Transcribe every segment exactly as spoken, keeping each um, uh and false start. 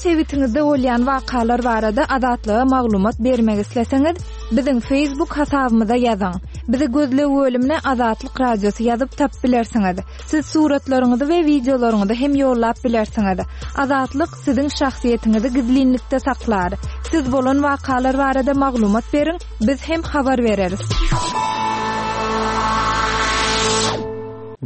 Sebitiňizde bolýan wakalar barada Azatlyga maglumat bermek isleseňiz, biziň Facebook hasabymyza ýazyň. Bizi gözleg bölümine Azatlyk Radiosy ýazyp tapyp bilersiňiz. Siz suratlaryňyzy we wideolaryňyzy hem ýollap bilersiňiz. Azatlyk siziň şahsyýetiňizi gizlinlikde saklar. Siz bolan wakalar barada maglumat beriň, biz hem habar bereris.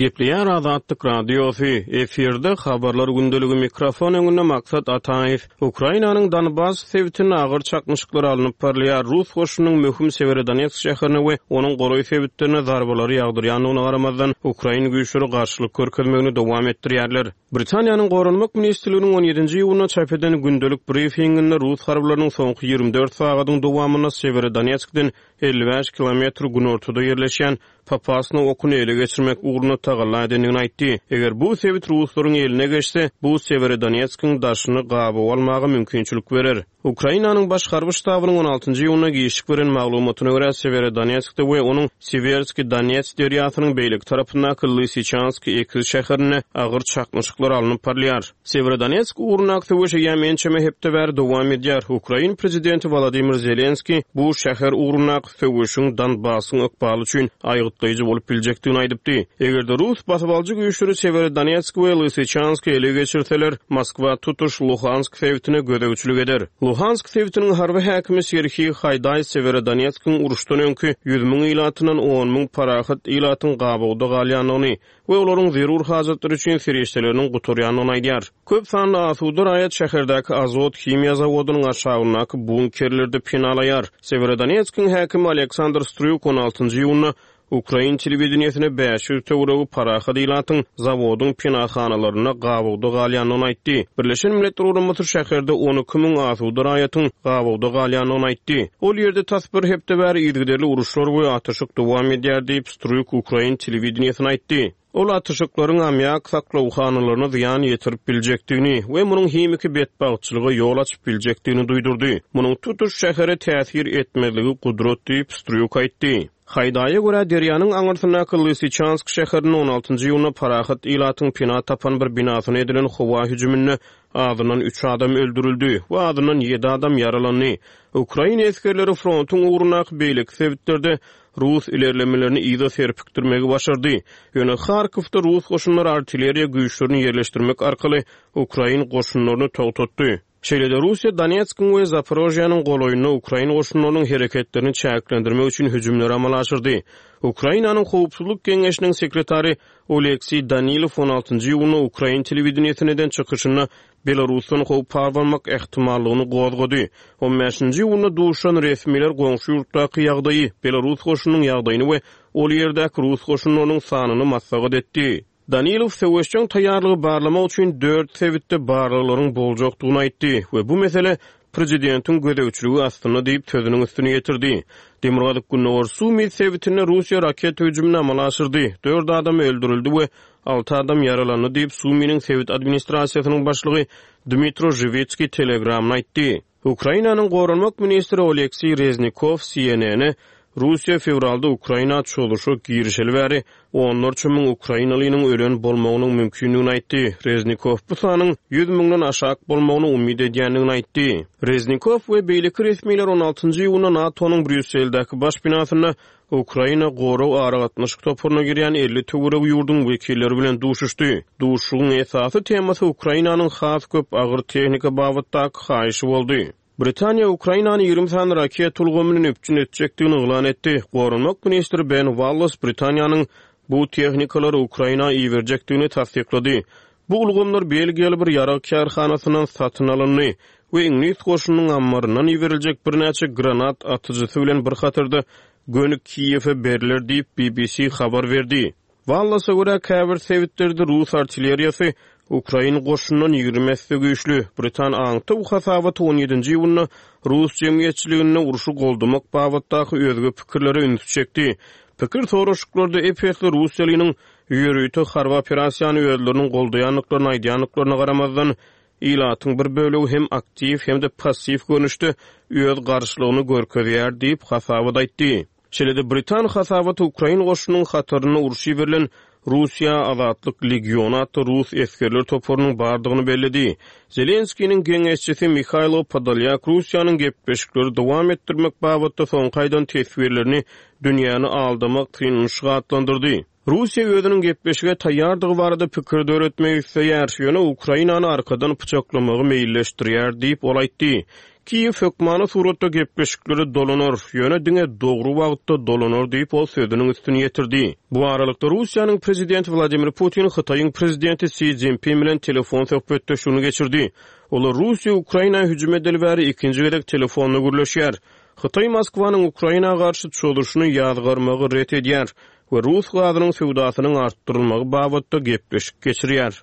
Gepleýär Azatlyk Radiosy, efirde habarlar gündeligi, mikrofon öňünde Maksat Ataýew. Ukrainanyň Donbas sebitinde agyr çaknyşyklar alnyp barylýar. Rus goşunynyň möhüm Sewerodonetsk şäherine we onuň golaý sebitlerine zarbalary ýagdyrýandygyna garamazdan, ukrain güýçleri garşylyk görkezmegini dowam etdirýärler. Britaniýanyň Goranmak ministrliginiň on ýedinji iýunda çap eden gündelik brifinginde rus harbylarynyň soňky ýigrimi dört sagadyň dowamynda Sewerodonetskden elli bäş kilometr günortada ýerleşýän Popasna okuny ele geçirmek ugrunda tagalla edendigini aýtdy. Eger bu sebit ruslaryň eline geçse, bu Sewerodonetskiň daşyny gabaw almaga mümkinçilik berer. Ukrainanyň baş harby ştabynyň on altynjy iýunda giçlik beren maglumatyna görä, Sewerodonetskde we onuň Siwerski Donets derýasynyň beýleki tarapyndaky Lysyçansk ekiz şäherinde agyr çaknyşyklar alnyp barylýar. Sewerodonetsk ugrundaky söweş eýýäm ençeme hepde bäri dowam edýär. Ukrain prezidenti Wolodymyr Zelenski bu şäher ugrundaky söweşiň Donbasyň ykbaly üçin aýgytlaýjy bolup biljekdigini aýdypdy. Eger-de rus basybalyjy güýçleri Sewerodonetsk we Lysyçansk ele geçirseler, Moskwa tutuş Luhansk sebitine gözegçilik eder. Luhansk sebitiniň harby häkimi Serhiý Haýdaý Sewerodonetskiň uruşdan öňki ýüz müň ilatyndan on müň parahat ilatyň gabawda galýandygyny we olaryň zerur hajatlary üçin serişdeleriniň gutarýandygyny aýdýar. Köp sanly asuda raýat şäherdäki Azot himiýa zawodynyň aşagyndaky bunkerlerde penalaýar. Sewerodonetskiň häkimi Aleksandr Strýuk on altynjy iýunda Ukrain telewideniýesine bäş ýüz töweregi parahat ilatyň zawodyň penahanalarynda gabawda galýandygyny aýtdy. Birleşen Milletler Guramasy şäherde on iki müň asuda raýatyň gabawda galýandygyny aýtdy. Ol ýerde tas bir hepde bäri yzygiderli uruşlar we atyşyk dowam edýär diýip, Strýuk Ukrain telewideniýesine aýtdy. Ol atyşyklaryň ammiak saklawhanalaryna zyýan ýetirip biljekdigini we munuň himiki betbagtçylyga ýol açyp biljekdigini duýdurdy. Munuň tutuş şähere täsir etmezligi gudrat diýip, Strýuk aýtdy. Haýdaýa görä derýanyň aňyrsyndaky Lysyçansk şäherinde on altynjy iýunda parahat ilatyň pena tapan bir binasyna edilen howa hüjüminde azyndan üç adam öldürildi we azyndan ýedi adam ýaralandy. Ukraina esgerleri frontuň ugrundaky beýleki sebitlerde rus ilerlemelerini yza serpikdirmegi başardy. Ýöne Harkowda rus goşunlary artilleriýa güýçlerini ýerleşdirmek arkaly ukrain goşunlaryny togtatdy. Şeýle-de Russiýa Donetskiň we Zaporožýanyň golaýynda ukrain goşunlarynyň hereketlerini çäklendirmek üçin hüjümleri amala aşyrdy. Ukrainanyň Howpsuzlyk Geňeşiniň sekretary Oleksiý Danilow on altynjy iýunda ukrain telewideniýesine eden çykyşynda Belarusdan howp abanmak ähtimallygyny gozgady. on bäşinji iýunda duşan resmiler goňşy ýurtdaky ýagdaýy, Belarus goşunynyň ýagdaýyny we ol ýerdäki rus goşunlarynyň sanyny maslahat etdi. Danilow söweşjeň taýýarlygy barlamak üçin dört sebitde barlaglaryň boljakdygyny aýtdy we bu mesele prezidentiň gözegçiligi astynda diýip sözüniň üstüne ýetirdi. Demirgazyk Gündogar Sumi sebitinde Russiýa raketa hüjümini amala aşyrdy. Dört adam öldürildi we alty adam ýaralandy diýip Suminiň sebit administrasiýasynyň başlygy Dmitro Žiwitskiý Telegramda aýtdy. Ukrainanyň goranmak ministri Oleksiý Reznikow C N N-e Russiýa fewralda Ukraina çozuşa girişeli bäri onlarça müň ukrainalynyň ölen bolmagynyň mümkindigini aýtdy. Reznikow bu sanyň ýüz müňden aşak bolmagyny umyt edýändigini aýtdy. Reznikow we beýleki resmiler on altynjy iýunda NATO-nyň Brýusseldäki baş binasynda Ukraina gorag aragatnaşyk toparyna girýän elli töweregi ýurduň wekilleri bilen duşuşdy. Duşuşygyň esasy temasy Ukrainanyň has köp agyr tehnika babatdaky haýyşy boldy. Britaniýa Ukrainany ýigrimi sany raket ulgamyny üpjün etjekdigini yglan etdi. Goranmak ministri Ben Wallace Britaniýanyň bu tehnikalary Ukraina iberjekdigini tassyklady. Bu ulgamlar Belgiýaly bir ýarag kärhanasyndan satyn alyndy we Iňlis goşunynyň ammaryndan iberiljek birnäçe granat atyjysy bilen bir hatarda göni Kiýewe beriler diýip B B C habar berdi. Wallace'a görä käbir sebitlerde rus artilleriýasy Ukrain goşundan ýigrimi esse güýçli. Britan aňtaw hasabaty on ýedinji iýunda rus jemgyýetçiliginde urşy goldamak babatdaky özge pikirlere üns çekdi. Pikir soraşyklarda ep-esli Russiýalynyň ýörite harby operasiýany özleriniň goldaýandyklaryny aýdýandyklaryna garamazdan, ilatyň bir bölegi hem aktiw hem-de passiw görnüşde öz garşylygyny görkezýär diýip hasabat aýtdy. Şeýle-de Britan hasabaty Ukrain goşunynyň hatarynda urşy berilen Russiýa Azatlyk Legiony atly rus esgerler toparynyň bardygyny belledi. Zelenskiniň geňeşçisi Mihailo Podolyak Russiýanyň gepleşikleri dowam etdirmek babatda soňky aýdan teswirlerini dünýäni aldamak synanyşygy atlandyrdy. Russiýa özüniň gepleşige taýýardygy barada pikir döretmek isleýär, ýöne Ukrainany arkadan pyçaklamagy meýilleşdirýär diýip ol aýtdy. Kiýew hökmany suratda gepleşikleri dolanar, ýöne diňe dogry wagtda dolanar diýip ol sözüniň üstüni ýetirdi. Bu aralykda Russiýanyň prezidenti Wladimir Putin Hytaýyň prezidenti Si Szinpin bilen telefon söhbetdeşligini geçirdi. Olar Russiýa Ukraina hüjüm edeli bäri ikinji gezek telefonda gürleşýär. Hytaý Moskwanyň Ukraina garşy çozuşyny ýazgarmagy ret edýär we rus gazynyň söwdasynyň artdyrylmagy babatda gepleşik geçirýär.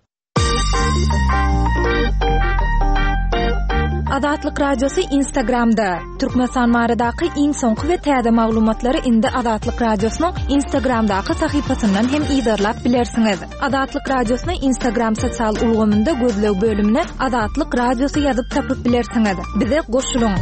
Azatlyk Radiosy Instagramda. Türkmenistan baradaky iň soňky we täze maglumatlary indi Azatlyk Radiosynyň Instagramdaky sahypasyndan hem yzarlap bilersiňiz. Azatlyk Radiosyny Instagram sosial ulgamynda gözleg bölümine Azatlyk Radiosy ýazyp tapyp bilersiňiz. Bize goşulyň.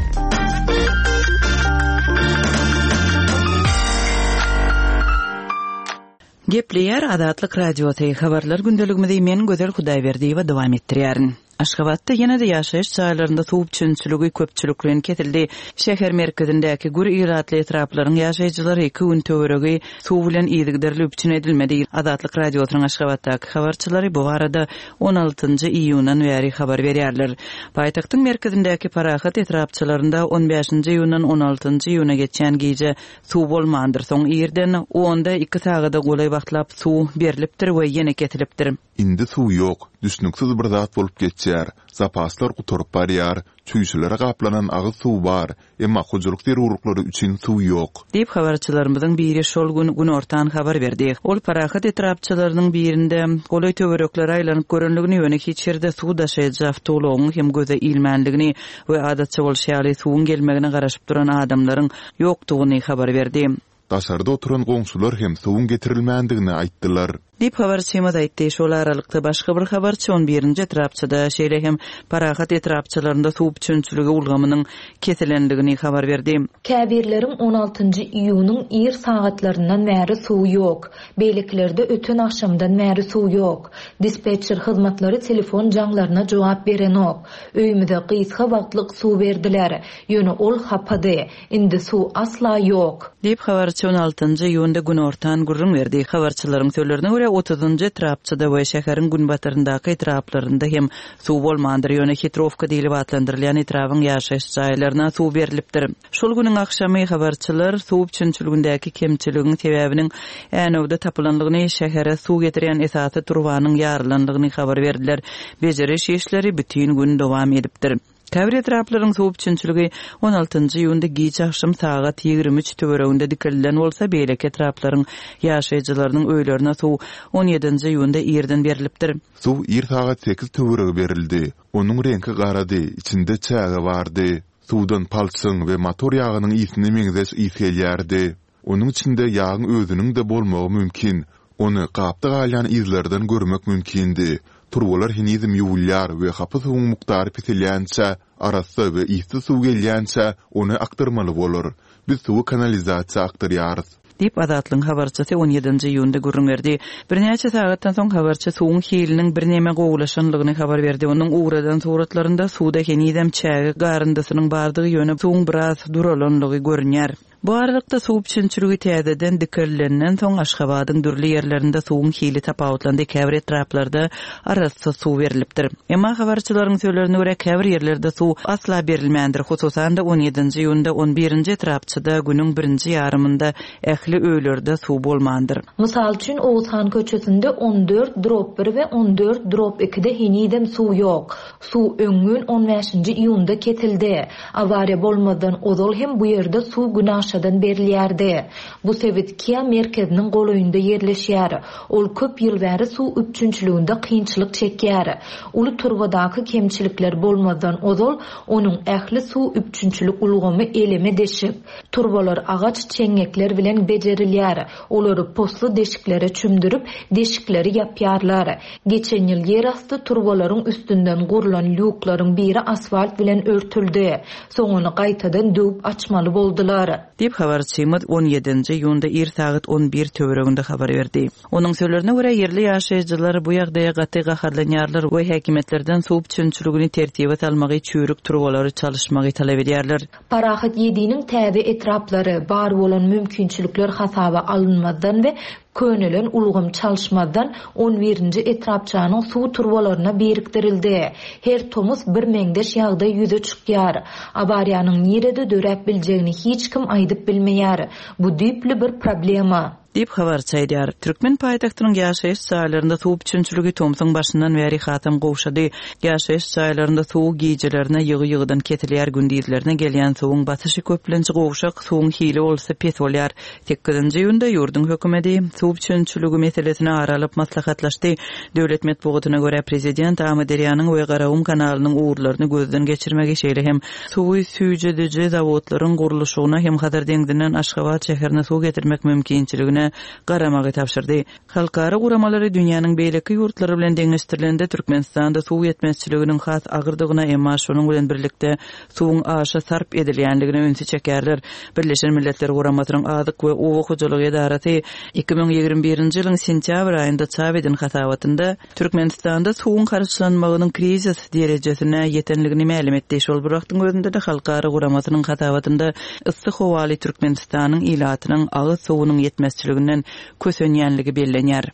Gepleýär Azatlyk Radiosy habarlar gündeligimizi men Gözel Hudaýberdiýewa dowam etdirýärin. Aşgabatda ýene-de ýaşaýyş jaýlarynda suw üpjünçiligi köpçülikleýin kesildi. Şäher merkezindäki gür ilatly etraplaryň ýaşaýjylary iki gün töweregi suw bilen yzygiderli üpjün edilmedi. Azatlyk Radiosynyň Aşgabatdaky habarçylary bu barada on altynjy iýundan bäri habar berýärler. Paýtagtyň merkezindäki Parahat etrapçalarynda on bäşinji iýundan on altynjy iýuna geçen gije suw bolmandyr. Soň irden onda iki sagada golaý wagtlap suw berilipdir we ýene kesilipdir. Indi suw ýok, düşnüksiz bir zat bolup geçýär. Zapaslar gutaryp barýar, çüýşelere gaplanan agyz suw bar, emma hojalyk zerurlyklary üçin suw ýok. Diýip habarçylarymyzyň biri şol gün günortan habar berdi. Ol Parahat etrapçalarynyň birinde golaý töwereklere aýlanyp görenligini, ýöne hiç ýerde suw daşaýjy awtoulagyň hem göze ilmänligini we adatça bolşy ýaly suwuň gelmegine garaşyp duran adamlaryň ýokdugyny habar berdi. Daşarda oturan goňşular hem suwuň getirilmändigini aýtdylar. Diýip habarçymyz aýtdy. Şol aralykda başga bir habarçy on birinji etrapçada, şeýle hem Parahat etrapçalarynda suw üpjünçiligi ulgamynyň kesilenligini habar berdi. Käbirleriň on altynjy iýunyň ir sagatlaryndan bäri suw ýok. Beýlekilerde öten agşamdan bäri suw ýok. Dispetçer hyzmatlary telefon jaňlaryna jogap berenok. Öýümize gysga wagtlyk suw berdiler. Ýöne ol hapady. Indi suw asla ýok. Diýip habarçy on altynjy iýunda günortan gürrüň berdi. Habarçylaryň sözlerine görä otuzynjy etrapçada we şäheriň günbataryndaky etraplarynda hem suw bolmandyr. Ýöne Hitrowka diýlip atlandyrylýan etrabyn ýaşaýyş jaýlaryna suw berilipdir. Şol günüň agşamy habarçylar suw üpjünçiligindäki kemçiligiň sebäbiniň Änewde tapylanlygyny, şähere suw getirýän esasy turbanyň ýarylanlygyny habar berdiler. Bejeriş işleri bütün gün dowam edipdir. Käbir etraplaryň suw üpjünçiligi on altynjy iýunda giç agşam sagat ýigrimi üç töwereginde dikildilen bolsa, beýleki etraplaryň ýaşaýjylarynyň öýlerine suw on ýedinji iýunda irden berilipdir. Suw ir sagat sekiz töweregi berildi. Onuň reňki garady, içinde çäge bardy. Suwdan palçyň we motor ýagynyň ysine meňzeş ys gelýärdi. Onuň içinde ýagyň özüniň de bolmagy mümkin. Ony gapda galýan yzlardan görmek mümkindi. Turbalar henizem ýuwulýar we hapa suwuň mukdary peselýänçä, arassa we yssyz suw gelýänçä ony akdyrmaly bolar. Biz suwy kanalizasiýa akdyrýarys. Diýip Azatlygyň habarçysy on ýedinji iýunda gürrüň berdi. Birnäçe sagatdan soň habarçy suwuň hiliniň birneme gowulaşanlygyny habar berdi. Onuň ugradan suratlarynda suwda henizem çäge garyndysynyň bardygy, ýöne suwuň biraz duralanlygy görünýär. Bu aralykda suw üpjünçiligi täzeden dikilenden soň Aşgabadyň dürli ýerlerinde suwuň hili tapawutlandy. Käbir etraplarda arassa suw berilipdir. Emma habarçylaryň sözlerine görä käbir ýerlerde suw asla berilmändir. Hususan-da on ýedinji iýunda on birinji etrapçada günüň birinji ýarymynda ähli öýlerde suw bolmandyr. Mysal üçin Oğuzhan köçesinde on dört drop bir we on dört drop ikide henizem suw ýok. Suw öňňün on bäşinji iýunda kesildi. Awariýa bolmazdan ozal hem bu ýerde suw günaşadan berilýärdi. Bu sebit Kia merkeziniň golaýynda ýerleşýär. Ol köp ýyl bäri suw üpjünçiliginde kynçylyk çekýär. Uly turbadaky kemçilikler bolmazdan ozal onuň ähli suw üpjünçilik ulgamy eleme deşik. Turbalar agaç çeňňekler bilen bejerilýär. Olary posly deşiklere çümdürip, deşikleri ýapýarlar. Geçen ýyl ýerasty turbalaryň üstünden gurlan lýuklaryň biri asfalt bilen örtüldi. Soň ony gaýtadan döwüp açmaly boldular. Diýip Diýip, habarçymyz on ýedinji iýunda ir sagat on bir töwereginde habar berdi. Onuň sözlerine görä, ýerli ýaşaýjylar bu ýagdaýa gaty gaharlanýarlar we häkimiýetlerden suw üpjünçiligini tertibe salmagy, çüýrük turbalary çalyşmagy talap edýärler. Parahat ýediniň täze etraplary bar bolan mümkinçilikler hasaba alynmazdan we könelen ulgam çalyşmazdan on birinji etrapçanyň suw turbalaryna birikdirildi. Her tomus bir meňzeş ýagdaý ýüze çykýar. Awariýanyň nirede döräp biljegini hiç kim aýdyp bilmeýär. Bu düýpli bir problema. Diýip habarçy aýdýar. Türkmen paýtagtynyň ýaşaýyş jaýlarynda suw üpjünçiligi tomsuň başyndan bäri hasam gowşady. Ýaşaýyş jaýlarynda suw gijelerine ýygy-ýygydan kesilýär, gündizlerine gelýän suwuň basyşy köplenç gowşak, suwuň hili bolsa pes bolýar. Sekizinji iýunda ýurduň hökümeti suw üpjünçiligi meselesini ara alyp maslahatlaşdy. Döwlet metbugatyna görä prezident Amyderýanyň we Garagum kanalynyň ugurlaryny gözden geçirmegi, şeýle hem suwy süýjediji zawodlaryň gurluşygyna hem Hazar deňzinden Aşgabat şäherine suw getirmek mümkinçiligine garamagy tabşyrdy. Halkara guramalary dünýäniň beýleki ýurtlary bilen deňeşdirilende Türkmenistanda suw ýetmezçiliginiň has agyrdygyna, emma şonuň bilen birlikde suwuň aşa sarp edilýänligine ünsi çekerler. Birleşen Milletler Guramasynyň Azyk we Oba hojalygy edarasy iki müň ýigrimi birinji ýylyň sentýabr aýynda çap eden hasabatynda Türkmenistanda suwuň harçlanmagynyň krizis derejesine ýetenligini mälim etdi. Şol bir wagtyň özünde de Halkara guramasynyň hasabatynda yssy howaly Türkmenistanyň ilatynyň agyz suwunyň ýetmezçiliginden kösenýänligi bellenýär.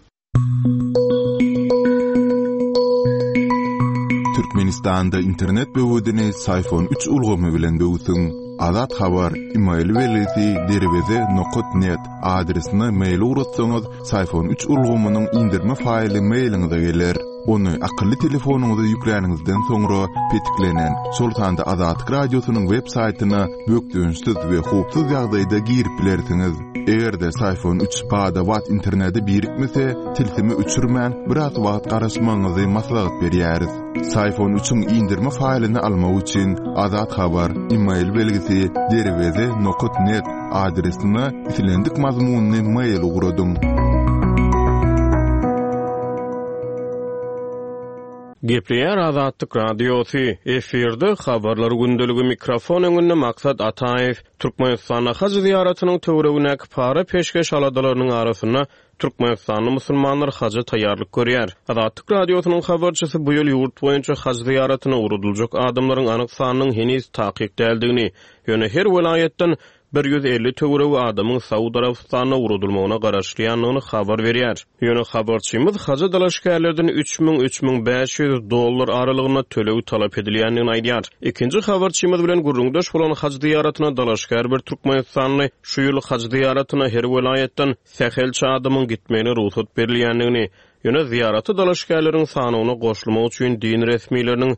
Türkmenistanda internet böwedini Syfon üç ulgamy bilen böwsüň. Azat Habar, e-mail belgisi derweze nokat net adresine mail ugratsaňyz, Syfon üç ulgamynyň indirme faýly mailiňize geler. Ony akylly telefonyňyza ýükläniňizden soňra petiklenen, şol sanda Azatlyk radiosynyň web saýtyna bökdençsiz we howpsuz ýagdaýda girip bilersiňiz. Eger-de Syfon üç bada-bat internete birikmese, tilsimi öçürmän biraz wagt garaşmagyňyzy maslahat berýäris. Syfon üçiň indirme faýlyny almak üçin Azat Habar, e-mail belgisi derweze nokat net adresine islendik mazmunyny mail ugradyň. Gepleýär Azatlyk Radiosy, efirde habarlar gündeligi mikrofon öňünde Maksat Ataýew. Türkmenistanda haj ziýaratynyň töweregindäki para peşgeş aladalarynyň arasynda Türkmenistanly musulmanlar haja taýýarlyk görýär. Azatlyk Radiosynyň habarçysy bu ýyl ýurt boýunça haj ziýaratyna ugradyljak adamlaryň anyk sanynyň heniz takyk däldigini, ýöne her welaýatdan bir ýüz elli töweregi adamyň Saud Arabystanyna ugradylmagyna garaşylýandygyny habar berýär. Ýöne habarçymyz haja dalaşgärlerden üç müň, üç müň bäş ýüz dollar aralygynda töleg talap edilýändigini aýdýar. Ikinji habarçymyz bilen gürrüňdeş bolan haj ziýaratyna dalaşgär bir Türkmenistanly şu ýyl haj ziýaratyna her welaýatdan sähelçe adamyň gitmegine rugsat berilýändigini, ýöne ziýarata dalaşgärleriň sanyna goşulmak üçin din resmileriniň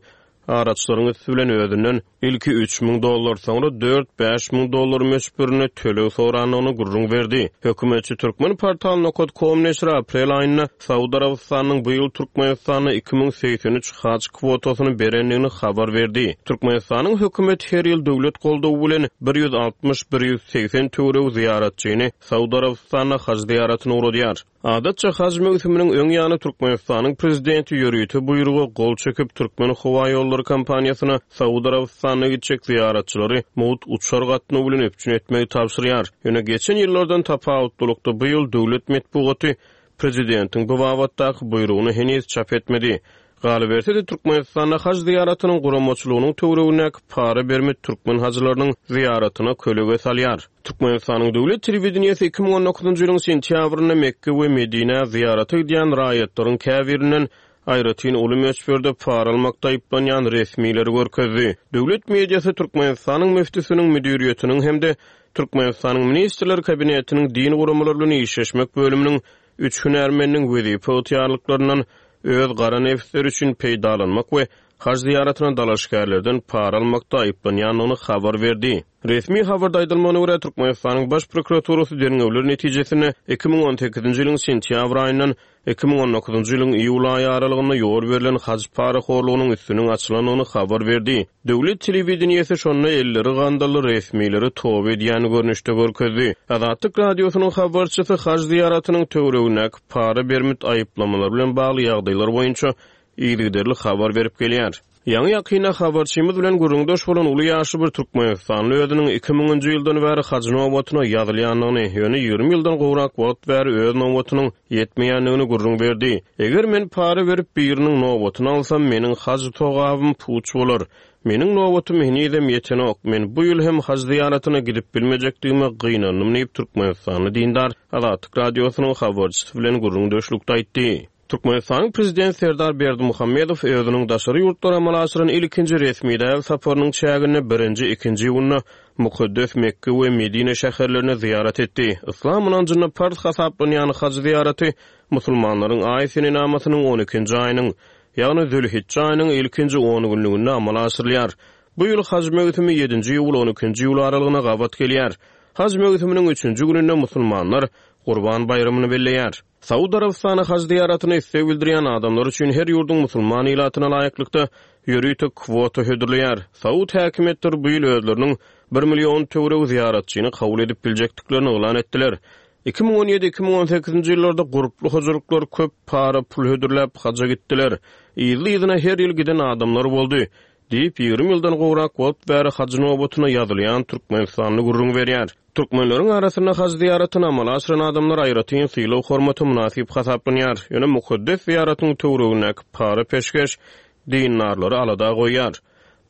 araçlaryň üstü bilen özünden ilki üç müň dollar, soňra dört bäş müň dollar möçberinde töleg sorandygyny gürrüň berdi. Hökümetçi Türkmen portal nokat com neşiri aprel aýynda Saud Arabystanynyň bu ýyl Türkmenistanda iki müň segsen üç haj kwotasyny berendigini habar berdi. Türkmenistanyň hökümeti her ýyl döwlet goldawy bilen bir ýüz altmyş, bir ýüz segsen töweregi ziýaratçyny Saud Arabystanyna haj ziýaratyna ugradýar. Adatça haj möwsüminiň öň ýany Türkmenistanyň prezidenti ýörite buýruga gol çekip Türkmen howa ýollary kompaniýasyna Saud Arabystanyna gitjek ziýaratçylary mugt uçar gatnawy bilen üpjün etmegi tabşyrýar. Ýöne geçen ýyllardan tapawutlylykda bu ýyl döwlet metbugaty prezidentiň bu babatdaky buýrugyny heniz çap etmedi. Galyberse-de Türkmenistanda haj ziýaratynyň guramaçylygynyň töweregindäki para berme türkmen hajylarynyň ziýaratyna kölege salýar. Türkmenistanyň döwlet telewideniýesi iki müň on dokuzynjy ýylyň sentýabrynda Mekke we Medinä ziýarata gidýän raýatlaryň käbirinden aýratyn uly möçberde para almakda aýyplanýan resmileri görkezdi. Döwlet mediasy Türkmenistanyň müftüsiniň müdiriýetiniň hem-de Türkmenistanyň Ministrler Kabinetiniň din guramalary bilen işleşmek bölüminiň üç hünärmeniniň wezipe ygtyýarlyklaryndan öz gara nefsleri üçin peýdalanmak we haj ziýaratyna dalaşgärlerden para almakda aýyplanýandygyny habar berdi. Resmi habarda aýdylmagyna görä Türkmenistanyň Baş prokuraturasy derňewler netijesinde iki müň on sekizinji ýylyň sentýabr aýyndan iki müň on dokuzynjy ýylyň iýul aýy aralygynda ýol berlen haj parahorlugynyň üstüniň açylandygyny habar berdi. Döwlet telewideniýesi şonda elleri gandally resmileri toba edýän görnüşde görkezdi. Azatlyk radiosynyň habarçysy haj ziýaratynyň töweregindäki para bermit aýyplamalar bilen bagly ýagdaýlar boýunça yzygiderli habar berip gelýär. Ýaňy-ýakynda habarçymyz bilen gürrüňdeş bolan uly ýaşly bir türkmenistanly özüniň iki müňünji ýyldan bäri haj nobatyna ýazylýandygyny, ýöne ýigrimi ýyldan gowrak wagt bäri öz nobatynyň ýetmeýändigini gürrüň berdi. Eger men para berip biriniň nobatyny alsam, meniň haj togabym puç bolar. Meniň nobatym henizem ýetenok. Men bu ýyl hem haj zyýaratyna gidip bilmejekdigime gynandym diýip, türkmenistanly dindar Azatlyk Radiosynyň habarçysy bilen gürrüňdeşlikde aýtdy. Türkmenistanyň Prezidenti Serdar Berdimuhamedow özüniň daşary ýurtlara amala aşyran ilkinji resmi däl saparynyň çäginde birinji, ikinji iýunda mukaddes Mekke we Medine şäherlerine zyýarat etdi. Yslam ynanjynda parz hasaplanýan haj zyýaraty musulmanlaryň aý senenamasynyň on ikinji aýynyň, ýagny Zülhijje aýynyň ilkinji on günlüginde amala aşyrylýar. Bu ýyl haj möwsümi ýedinji iýul on ikinji iýul aralygyna gabat gelýär. Haj möwsüminiň üçünji gününde musulmanlar Gurban baýramyny belleýär. Saud Arabystany haj zyýaratyna isleg bildirýän adamlar üçin her ýurduň musulman ilatyna laýyklykda ýörite kwota hödürleýär. Saud häkimiýetleri bu ýyl özleriniň bir million töweregi zyýaratçyny kabul edip biljekdiklerini yglan etdiler. Iki müň on ýedi, iki müň on sekizinji ýyllarda gurply hojalyklar köp para pul hödürläp haja gitdiler. Yzly-yzyna her ýyl giden adamlar boldy diýip, ýigrimi ýyldan gowrak wagt bäri haj nobatyna ýazylýan Türkmenistanly gürrüň berýär. Türkmenleriň arasynda haj zyýaratyny amala aşyran adamlar aýratyn sylag hormata mynasyp hasaplanýar. Ýöne mukaddes zyýaratyň töweregindäki para peşgeş dindarlary alada goýýar.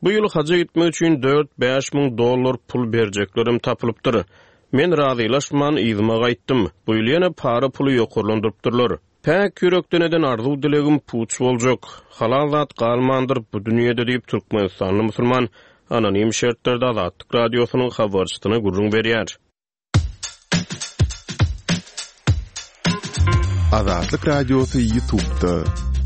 Bu ýyl haja gitmek üçin dört-bäş müň dollar pul berjeklerim tapylypdyr. Men razylaşman yzyma gaýtdym. Bu ýyl ýene para puly ýokarlandyrypdyrlar. Päk ýürekden eden arzuw dilegim puç boljak. Halal zat galmandyr bu dünýede diýip Türkmenistanly musulman anonim şertlerde Azatlyk Radiosynyň habarçysyna gürrüň berýär. Azatlyk Radiosy YouTube'da.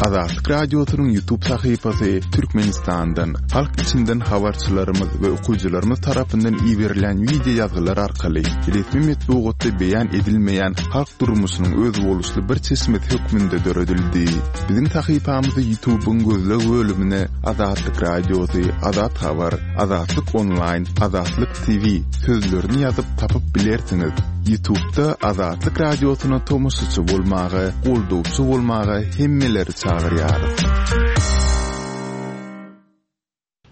Azatlyk Radiosynyň YouTube sahypasy Türkmenistandan, halk içinden habarçylarymyz we okyjylarymyz tarapyndan iberilen video ýazgylar arkaly resmi metbugatda beýan edilmeýän halk durmuşynyň özboluşly bir çeşmesi hökmünde döredildi. Biziň sahypamyzy YouTube'yň gözleg bölümine Azatlyk Radiosy, Azat Habar, Azatlyk Online, Azatlyk T V sözlerini ýazyp tapyp bilersiňiz. YouTube'da Azatlyk Radiosyna tomaşaçy bolmaga, goldawçy bolmaga hemmeleri çagyrýarys.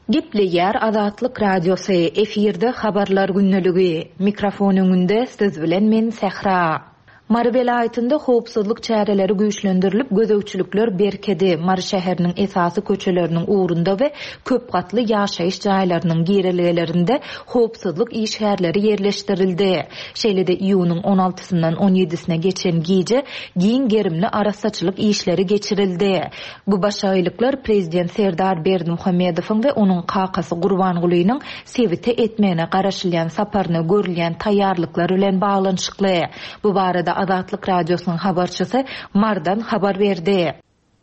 Gepleýär Azatlyk Radiosy, efirde habarlar gündeligi. Mikrofon öňünde siz bilen men Sähra. Mary welaýatynda howpsuzlyk çäreleri güýçlendirilip, gözegçilikler berkedi. Mary şäheriniň esasy köçeleriniň ugrunda we köp gatly ýaşaýyş jaýlarynyň girelgelerinde howpsuzlyk işgärleri ýerleşdirildi. Şeýle-de iýunyň on altysyndan on ýedisine geçen gije giň gerimli arassaçylyk işleri geçirildi. Bu başaýlyklar Prezident Serdar Berdimuhamedowyň we onuň kakasy Gurbangulynyň sebite etmegine garaşylýan saparyna görülýän taýýarlyklar bilen baglanyşykly. Bu barada Azatlyk Radiosynyň habarçysy Mardan habar berdi.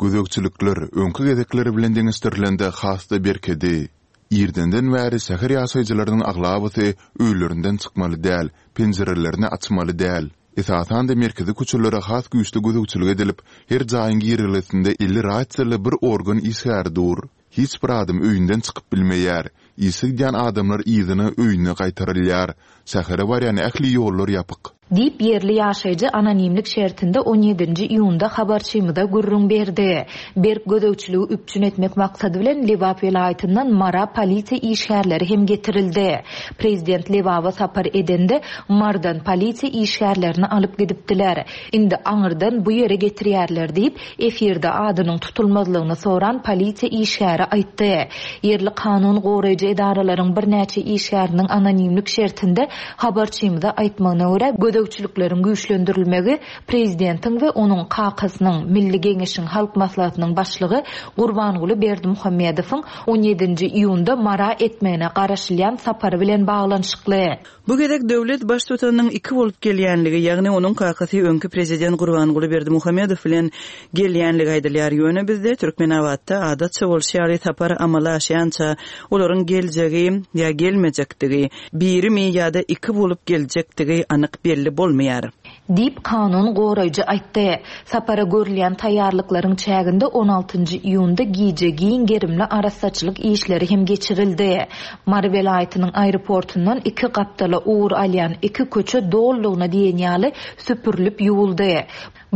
Gözegçilikler öňki gezekler bilen deňeşdirilende has-da berkedi. Irdenden bäri şäher ýaşaýjylarynyň aglabasy öýlerinden çykmaly däl, penjirelerini açmaly däl. Esasan-da merkezi köçelere has güýçli gözegçilik edilip, her jaýyň girelgesinde elli rasiýaly bir organ işgäri dur. Hiç bir adam öýünden çykyp bilmeýär. Işe gidýän adamlar yzyna öýüne gaýtarylýar. Şähere barýan ähli ýollar ýapyk. Diýip ýerli ýaşaýjy anonimlik şertinde on ýedinji iýunda habarçymyza gürrüň berdi. Berk gözegçiligi üpjün etmek maksady bilen Lebap welaýatyndan Mara polisiýa işgärleri hem getirildi. Prezident Lebaba sapar edende Mardan polisiýa işgärlerini alyp gidipdiler. Indi aňyrdan bu ýere getirýärler diýip, efirde adynyň tutulmazlygyny soran polisiýa işgäri aýtdy. Ýerli kanun goraýjy edaralaryň birnäçe işgäriniň anonimlik şertinde habarçymyza aýtmagyna görä gözegçilikleriň güýçlendirilmegi prezidentiň we onuň kakasynyň Milli Geňeşiň Halk Maslahatynyň başlygy Gurbanguly Berdimuhamedowyň on ýedinji iýunda Mara etmegine garaşylýan sapary bilen baglanyşykly. Bu gezek döwlet baştutanynyň iki bolup gelýänligi, ýagny onuň kakasy öňki prezident Gurbanguly Berdimuhamedow bilen gelýänligi aýdylýar. Ýöne bizde Türkmenabatda adatça bolşy ýaly sapar amala aşýança olaryň geljegi ýa gelmejekdigi, birimi ýa-da iki bolup geljekdigi anyk belli bolmaýar. Diýip kanun goraýjy aýtdy. Sapara görülýän taýýarlyklaryň çäginde on altynjy iýunda gije giň gerimli arassaçylyk işleri hem geçirildi. Mary welaýatynyň aeroportundan iki gapdala ugur alýan iki köçe dollugyna diýen ýaly süpürilip ýuwuldy.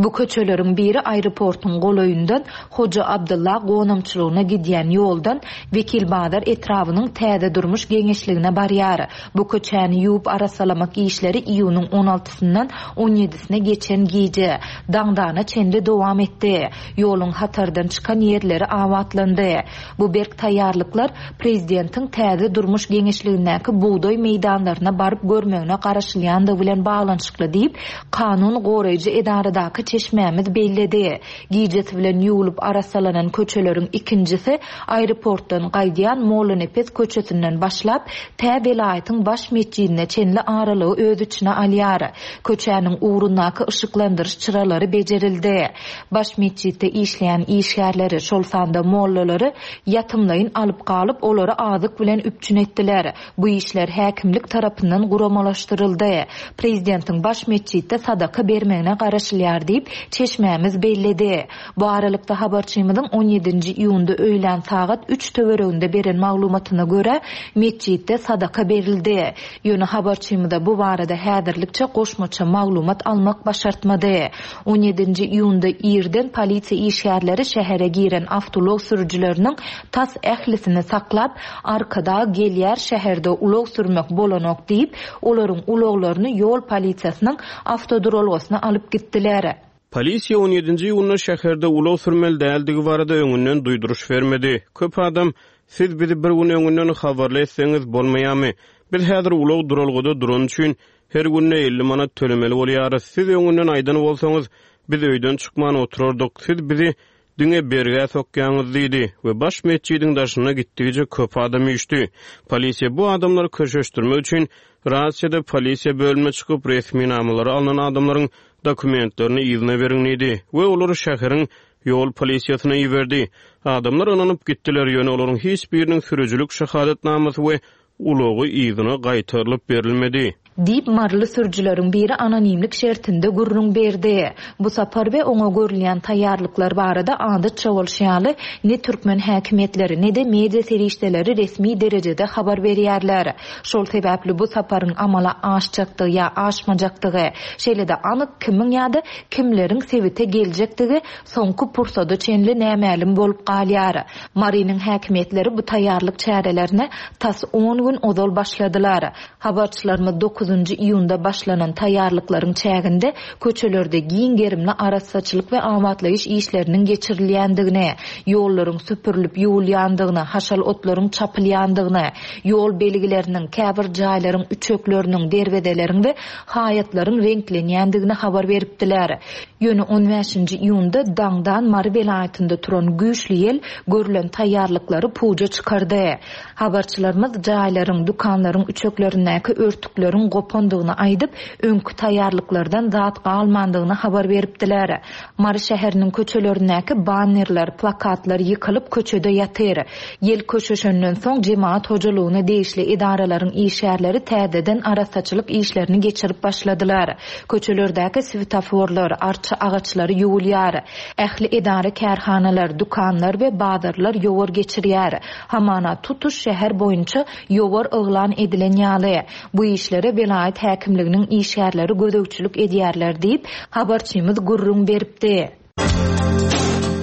Bu köçeleriň biri aeroportuň golaýyndan Hoja Abdylla gonamçylygyna gidýän ýoldan Wekilbazar etrabynyň Täze durmuş geňeşligine barýar. Bu köçäni ýuwup arassalamak işleri iýunyň on altysyndan on ýedisine geçen gije, daňdana çenli dowam etdi. Ýoluň hatardan çykan ýerleri abatlandy. Bu berk taýýarlyklar prezidentiň Täze durmuş geňeşligindäki bugdaý meýdanlaryna baryp görmegine garaşylýandygy bilen baglanyşykly diýip, kanun goraýjy edaradaky çeşmämiz belledi. Gijesi bilen ýuwlup arassalanan köçeleriň ikinjisi aeroportdan gaýdýan Mollanepes köçesinden başlap, tä welaýatyň baş metjidine çenli aralygy öz içine alýar. Köçäniň ugrundaky yşyklandyryş çyralary bejerildi. Baş metjitde işleýän işgärleri, şol sanda mollalary ýatymlaýyn alyp galyp, olary azyk bilen üpjün etdiler. Bu işler häkimlik tarapyndan guramalaşdyryldy. Prezidentiň baş metjitde sadaka bermegine garaşylýar diýip, çeşmämiz belledi. Bu aralykda habarçymyzyň on ýedinji iýunda öýlän sagat üç töwereginde beren maglumatyna görä, metjitde sadaka berildi. Ýöne habarçymyza bu barada häzirlikçe goşmaça maglumat almak başartmady. On ýedinji iýunda irden polisiýa işgärleri şähere giren awtoulag sürüjileriniň tas ählisini saklap, Arkadag gelýär şäherde ulag sürmek bolanok diýip, olaryň ulaglaryny ýol polisiýasynyň awtoduralgasyna alyp gitdiler. Polisiýa on ýedinji iýunda şäherde ulag sürmeli däldigi barada öňünden duýduryş bermedi. Köp adam, siz bizi bir gün öňünden habarly etseňiz bolmaýamy? Biz häzir ulag duralgada duran üçin her günde elli manat tölemeli bolýarys. Siz öňünden aýdan bolsaňyz, biz öýden çykman oturardyk. Siz bizi diňe bergä sokýaňyz diýdi we baş metjidiň daşyna gitdigiçe köp adam üýşdi. Polisiýa bu adamlary köşeşdirmek üçin rasiýada polisiýa bölümine çykyp resminamalary alynan adamlaryň dokumentlerini yzyna beriň diýdi we olary şäheriň ýol polisiýasyna iberdi. Adamlar ynanyp gitdiler, ýöne olaryň hiç biriniň sürüjilik şahadatnamasy we ulagy yzyna gaýtarylyp berilmedi. Diýip, maryly sürüjileriň biri anonimlik şertinde gürrüň berdi. Bu sapar we oňa görülýän taýýarlyklar barada adatça bolşy ýaly, ne türkmen häkimiýetleri, ne de media serişdeleri resmi derejede habar berýärler. Şol sebäpli bu saparyň amala aşjakdygy ýa aşmajakdygy, şeýle-de anyk kimiň ýa-da kimleriň sebite geljekdigi soňky pursada çenli nämälim bolup galýar. Marynyň häkimiýetleri bu taýýarlyk çärelerine tas on gün ozal başladylar. Habarçylarymyz dokuzynjy iýunda başlanan taýýarlyklaryň çäginde köçelerde giň gerimli arassaçylyk we abatlaýyş işleriniň geçirilýändigini, ýollaryň süpürilip ýuwulýandygyny, haşal otlaryň çapylýandygyny, ýol belgileriniň, käbir jaýlaryň üçekleriniň, derwezeleriň we haýatlaryň reňklenýändigini habar beripdiler. Ýöne on bäşinji iýunda daňdan Mary welaýatynda turan güýçli ýel görülen taýýarlyklary puja çykardy. Habarçylarymyz jaýlaryň, dükanlaryň üçeklerindäki örtükleriň gopandygyny aýdyp, öňki taýýarlyklardan zat galmandygyny habar beripdiler. Mary şäheriniň köçelerindäki bannerler, plakatlar ýykylyp köçede ýatyr. Ýel köşeşenden soň jemaat hojalygyna degişli edaralaryň işgärleri täzeden arassaçylyk işlerini geçirip başladylar. Köçelerdäki svetoforlar, arça agaçlary ýuwulýar. Ähli edara kärhanalar, dükanlar we bazarlar ýowar geçirýär. Hamana tutuş şäher boýunça ýowar yglan edilen ýaly. Bu işlere welaýat häkimliginiň işgärleri gözegçilik edýärler diýip, habarçymyz gürrüň beripdi.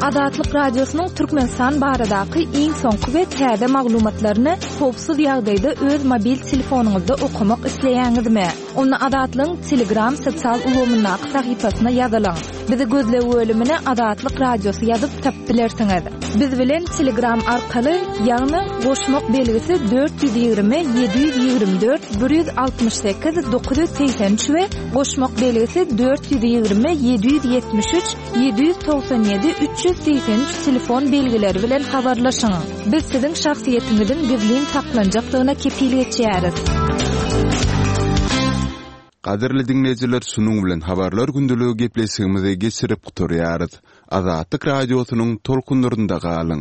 Azatlyk Radiosynyň Türkmenistan baradaky iň soňky we täze maglumatlaryny howpsuz ýagdaýda öz mobil telefonyňyzda okamak isleýäňizmi? Onda Azatlygyň Telegram sosial ulgamyndaky sahypasyna ýazylyň. Bizi gözleg bölümine Azatlyk Radiosy ýazyp tapyp bilersiňiz. Biz bilen Telegram arkaly, ýagny goşmak belgisi dört ýüz ýigrimi ýedi ýüz ýigrimi dört bir ýüz altmyş sekiz dokuz ýüz segsen üç we goşmak belgisi dört ýüz ýigrimi ýedi ýüz ýetmiş üç ýedi ýüz togsan ýedi üç ýüz segsen üç telefon belgileri bilen habarlaşyň. Biz siziň şahsyýetiňiziň gizlin saklanjakdygyna kepil geçýäris. Gadyrly dinleýjiler, şunuň bilen habarlar gündeligi gepleşigimizi geçirip gutarýarys. Azatlyk radiosynyň tolkunlarynda galyň.